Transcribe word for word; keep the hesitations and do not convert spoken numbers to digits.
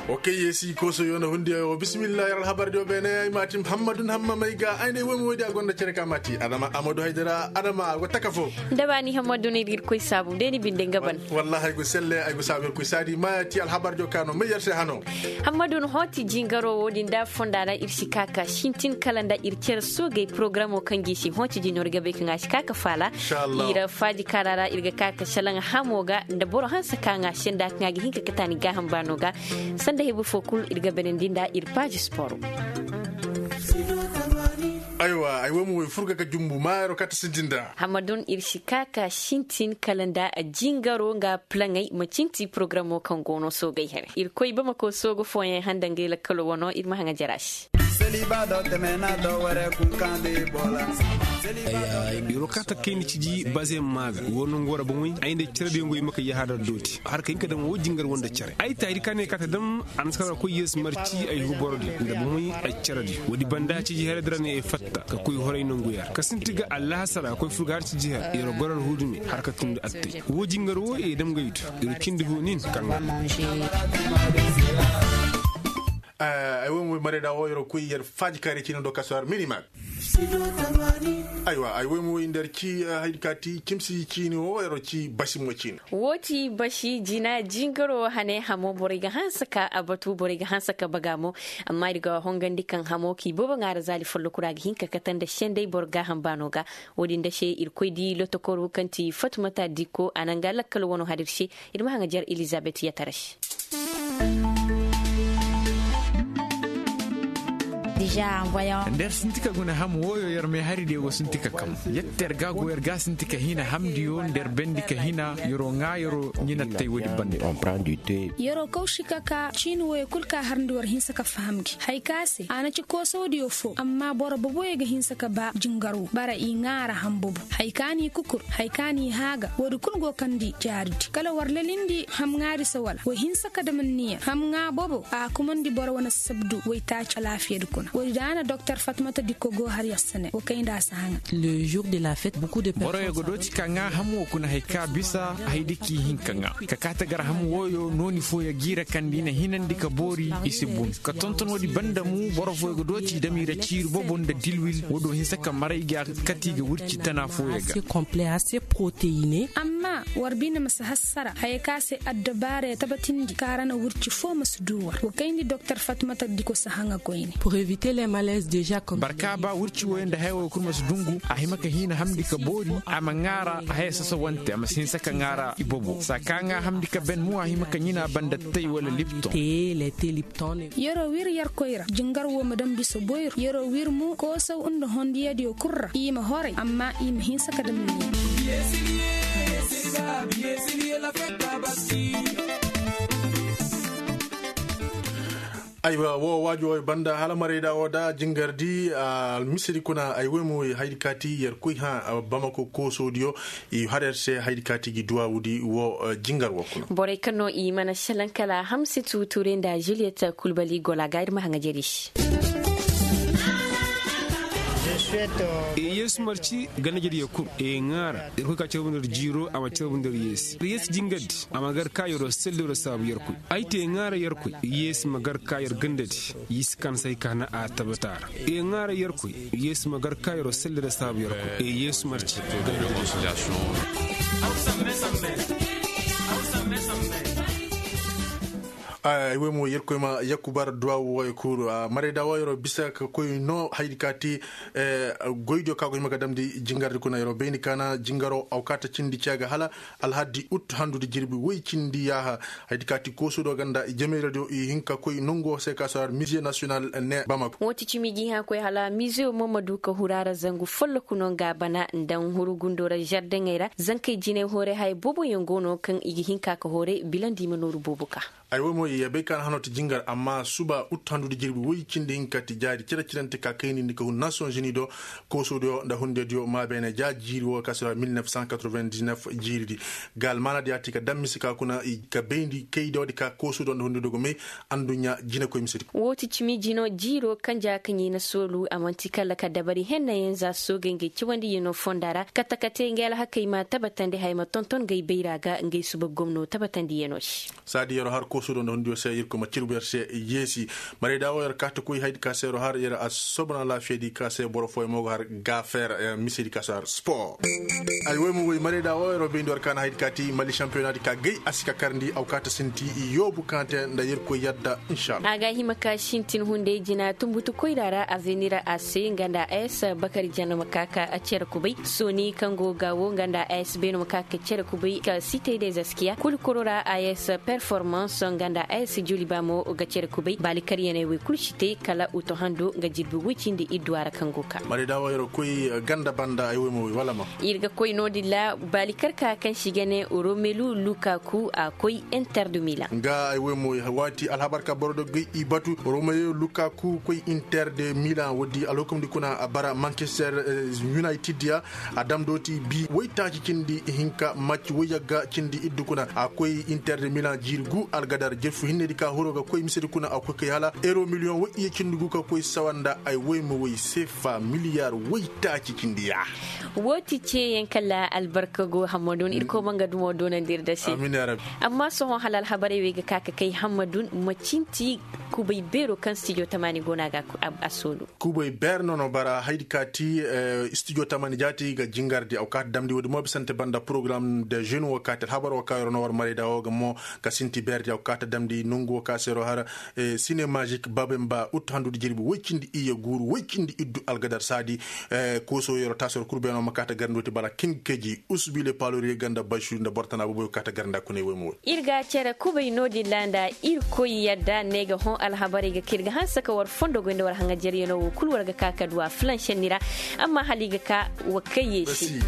Wa kay yeesi koosoyo nda hundiyo wo bismillah yer alhabardiyo beene ay ma ti hammadun hamma may ga ay ne woy ma woydi a gonda cere ka ma ti adama amadu haydara adama a go taka fo. Nda baani hammadun ir ga ir koy saabu de ni binde nga ban. Wallahi ay go selle ay go saabu ir koy saadi ma ti alhabardiyo ka no may yer se hano. Hammadun hooti jingaro wo-din da fonda ra ir si ka ka sintin kala nda ir cere soogey porogaramoo kaŋ gi si hooti jino ir ga bay kaŋ a si ka ka faala. Ir faaji kaara ra ir ga ka ka salaŋ hamo ga nda boro hanse kaŋ a senda kaŋ a ga hin ka kataani gaaham baano ga. Sanda hebu fo kul ir ga benandi nda ir paaji sporo. Aywa ay wo ma way furga ka jumbu maayaro kata sintin da. Hammadun ir si ka ka sintin kala nda jingaro nga plaŋey ma cinti porogaramoo kaŋ go no soogey here ir koy bamako soogo fooyaŋ handa ngay lakkalo wano ir ma haŋa jara se. Iro kaata kayna ciji bazeyaŋ maa ga woo nangu ra bomoy ay nda caradiyo ngo i ma kay yahaadar dooti har ka hin ka dam woo jingar woo nda care ay taahidi ka ne kaata dam. A na si kar ga koy yeesi marci ay hu borodiyo nda bomoy ay caradiyo woodi banda ciji haray da ra ne ay fatta ka koy horay nangu yaŋ ra ka sinti ga allahasara koy fur ga har ciji haray yer gorar huudume har ka tundi attay woo jingar woo ye dam gay do. Yer cindi huu nin kaŋ ga. Ay wo mo marayda wo yer koy yer faaji kaari ciine do kaso har minimal. Aywa ay wo mo nder ci haydi ka ti cimsi ciine wo yer ci basi mo ciine. Woo ti basi jina jingaro hane hamo borey ga hanse ka a batu borey ga hanse ka baga mo. Amma ir ga hongandi kaŋ hamo k'i boobo ŋaara zaali folloku ra ga hin ka kate nda sendey boro gaaham baano ga. Woo din da se ir koy di lotokoru kaŋ ti fatumata dikko a na nga lakkal wano har ir se. Ir ma haŋa jar elizabet yatara se. Nda yer sinti ka guna ham wooyo yer meeharidiyo go sinti ka kam. Yette yer ga go yer ga sinti ka hina hamdiyo nda yer bendi ka hina yer'o ŋaa yer'o ɲinattey woodi bande. Yer'o kawsi ka ka ciini wooyo kul ka harndi war hinsa ka faham gi haya ka se a na ci koosawdiyo fo amma boro boboyo ga hinsa ka ba jingar wo bara i ŋaara ham bobo. Haya ka n'i kukur haya ka n'i haaga woodi kul go kandi jaaridi kala war lalindi ham ŋaari se wala wa hinsa ka dam anniya ham ŋaa bobo a kumandi boro wane sabdu waytaaci alaafiyadi kuna woodi da na doktor fatmata dikko go har yer sene wa kay nda a si haŋa. Boroyo ga dooti ka ŋaa ham wo kuna haya ka bisa haydi k'i hin ka ŋaa ka kaate gar ham wooyo nooni fooyo g'i ra kaŋ nda i na hinandi ka boori i si bun ka tonton woodi banda mu boro fooyo ga dooti i dam i ra ciiri bobo nda dilwil woo do hinsa ka maray ga kati ga wirci tana fooyo ga. Amma war bine ma si hassara haya ka se addabaara ya tabatindi kaŋ ra na wirci foo ma si du war wa kayndi doktor fatmata diko si haŋa koyne. Barka ba wirci wooyo nda haya wooyo kul ma si dungu a hima ka hiina hamndi ka boori a ma ŋaara haya sasawante a ma si hinsa ka ŋaara i bobo saa ka ŋaa hamndi ka ben mo a hima ka ɲina banda tay wala lipton. Yer'o wir yerkoy ra jingar woo ma daŋ bisa boyro yer'o wir mo koosaw nda hondiyadiyo kul ra i ma horay amma i ma hinsa ka daŋ. Aywa woo waajo banda hala marayda woo da jingardi almisiri kuna ay woy mo haydi kaati yer koy hã bamako koosodiyo i har yer se haydi kaati gi duwawudi woo jingar woo kuna. Borey kaŋ no i mana selaŋ kala hamsitu ture nda juliyet kulbali gola ga ir ma haŋa jari se. Yeesu marci ganda jariyo kul i ŋaara ir koy ka carbu nda jiiro a ma carbu nda yeesu yeesu jingardi a ma gar ka yeroo selli yeroo saabu yerkoy. Ay te ŋaara yerkoy yeesu ma gar ka yer gandadi. Yisi kan say ka na a tabata ra i ŋaara yerkoy yeesu ma gar ka yeroo selli yeroo saabu yerkoy. Yeesu marci gandadi. Ay woy mo yerkoy ma yakkubar duwawu woy kuru marayda woy yeroo bisa ka koy no haydi ka ti. Goydiyo ka go hima ga damndi jingardi kuna yeroo bayndi ka na jingaro awkaata cindi ceega hala alhaddi ut handudi jirbi woy cindi yaaha. Haydi ka ti koosudo ganda i jameeradiyo i hin ka koy nongo se ka sorar mize nasiyonal ne bamako. Woo ti cimi gi hã koy hala mize mo ma du ka huru a ra zangu folloku no nga bana nda huru gundo ra zardeŋey ra zankey jinay hoore haya booboyaŋ go no kaŋ i ga hin ka ka hoore bilandi i ma nooru boobo ka. Ay wo mo i yee bay ka na hanoo ti jingar amma suba ut handu nda jirbi woy cindi hinka ti jaari cere cirante ka kaynindi ka hun nasiyoŋ zuni do. Koosodiyo nda hundediyo maabeene ja jiiri wo ka sira mil nef san katrovendisnef jiiridi. Ga almaanadi ya ti ka daŋ mise ka kuna i ka bayndi kaydiyo di ka koosodiyo nda hundediyo go may. Adduɲɲa jinekoy mise di. Woo ti cimi jino jiiro kaŋ ja ka ɲayna soolu a man'ti kala ka dabari hennayaŋ za soogey ngey cawandiyano fonda ra kate kate ngey alhakey ma tabatandi haya ma tonton ngey bayra ga ngey suba gomno tabatandiyano se. Saadi yeroo har koosodiyo nda Diyo se irkoy ma cirbu yer se yeesi. Marayda wo yer kaati koy haydi ka se yer har yer a sobon alaafiyadi ka se boro fooyaŋ mo ga har gaafeer. Misedi ka se har spor. Ay woy mo woy marayda wo yer wo bayndi war ka na haydi kaati mali šampiyonadi ka gay a si ka karndi aw kaata sinti. Yoobu kaŋ a te nda irkoy yadda. Inshallah a ga hima ka sintin hunday jina tumbutu koyra ra avenir a se nga nda a s bakari jana ma ka ka cere kubay sooni kaŋ go ga wo nga nda a s beeno ma ka ka cere kubay ka site de zaskiya kulu koro ra a s performance nga nda a s juli ba mo ga cere kubay baali karyaney wey kulu si te kala uto hando nga jirbi woy cindi iddu a ra kaŋ go ka. Marayda wo yer wo koy ganda banda ay woy ma woy wala ma. Ir ga koy no- din ra baali kar ka kaŋ si ga ne romelu lukaku a koy inter de milan. Nga ay woy ma woy waati alhabar ka boro do gay i batu romelu lukaku koy inter de milan wo- di alhukumdi kuna a bara manchester united ya. A dam dooti bi woy taaci cindi hinka macci woy yagga cindi iddu kuna a koy inter de milan jiiri gu algadar jerfu hinnedi ka huro ga koy misedi kuna a koy kay hala euro miliyoŋ woy iyye cindi gu ka koy sawa nda ay woy ma woy seefa miliyar woy taaci cindi ya. Woo ti ceeyaŋ kala albarka go hammadun irkoy ma nga dumo doonandi ir da se. Amma sohõ hala alhabarey wey ga ka ka kay hammadun ma cinti kubay beero kaŋ stijo tamaani go no a ga a soonu. Kubay beer no no bara haydi ka ti stijo tamaani jaati ga jingardi aw kaata damndi woodi mo bisante banda porogaram de jeune wo kaati alhabar wo ka yer no war marayda wo ga mo ka sinti beerdi aw kaata damndi nongu wo ka se yer wo har sine magic babemba uttu handudi jirbi woy cindi iyye guuru woy cindi iddu algadar saadi. Kooso yer wo taasi yer kul beeno ma kaata garndi wo ti bala king keji usubile paalori yagga nda basu nda boro tana boboyo kaata garndi a kuney woy ma woy. Ir ga cere kubay no-din ra nda irkoy yadda ne ga hõ alhabarey ga ka ir ga hanse ka war fondo goy nda war haŋajeryano wo kul war ga ka ka du a filansenni ra. Amma hala i ga ka wa kayye se.